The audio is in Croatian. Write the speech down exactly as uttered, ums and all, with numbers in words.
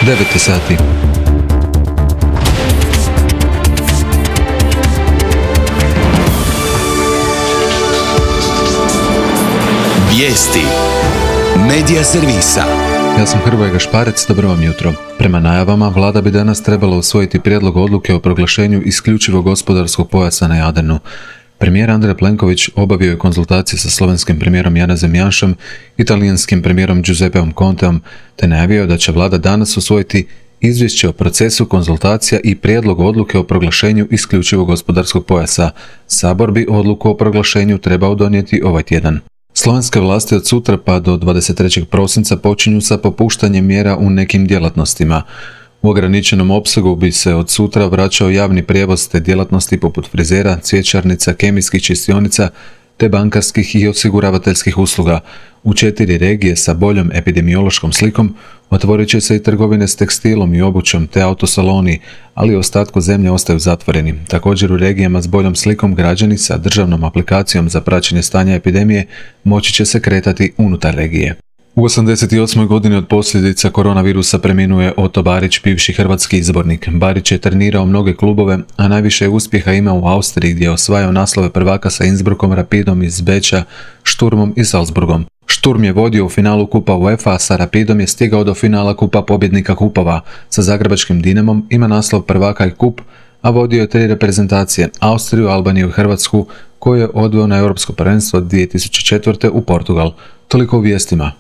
devet je sati. Vijesti Medija servisa. Ja sam Hrvoje Gašparec, dobro vam jutro. Prema najavama, vlada bi danas trebala usvojiti prijedlog odluke o proglašenju isključivog gospodarskog pojasa na Jadranu. Premijer Andrej Plenković obavio je konzultacije sa slovenskim premijerom Janezom Janšom, italijanskim premijerom Giuseppeom Conteom, te najavio da će vlada danas usvojiti izvješće o procesu konzultacija i prijedlog odluke o proglašenju isključivog gospodarskog pojasa. Sabor bi odluku o proglašenju trebao donijeti ovaj tjedan. Slovenske vlasti od sutra pa do dvadeset trećeg prosinca počinju sa popuštanjem mjera u nekim djelatnostima. U ograničenom opsegu bi se od sutra vraćao javni prijevoz te djelatnosti poput frizera, cvjećarnica, kemijskih čistionica te bankarskih i osiguravateljskih usluga. U četiri regije sa boljom epidemiološkom slikom otvorit će se i trgovine s tekstilom i obućom te autosaloni, ali u ostatku zemlje ostaju zatvoreni. Također u regijama s boljom slikom građani sa državnom aplikacijom za praćenje stanja epidemije moći će se kretati unutar regije. U osamdeset osmoj godini od posljedica koronavirusa preminuo je Oto Barić, bivši hrvatski izbornik. Barić je trenirao mnoge klubove, a najviše uspjeha imao u Austriji gdje je osvajao naslove prvaka sa Innsbruckom, Rapidom iz Beča, Šturmom i Salzburgom. Šturm je vodio u finalu Kupa UEFA, a sa Rapidom je stigao do finala Kupa pobjednika kupova. Sa zagrebačkim Dinamom ima naslov prvaka i kup, a vodio je tri reprezentacije, Austriju, Albaniju i Hrvatsku, koju je odveo na Europsko prvenstvo dvije tisuće četvrte u Portugal. Toliko u vijestima.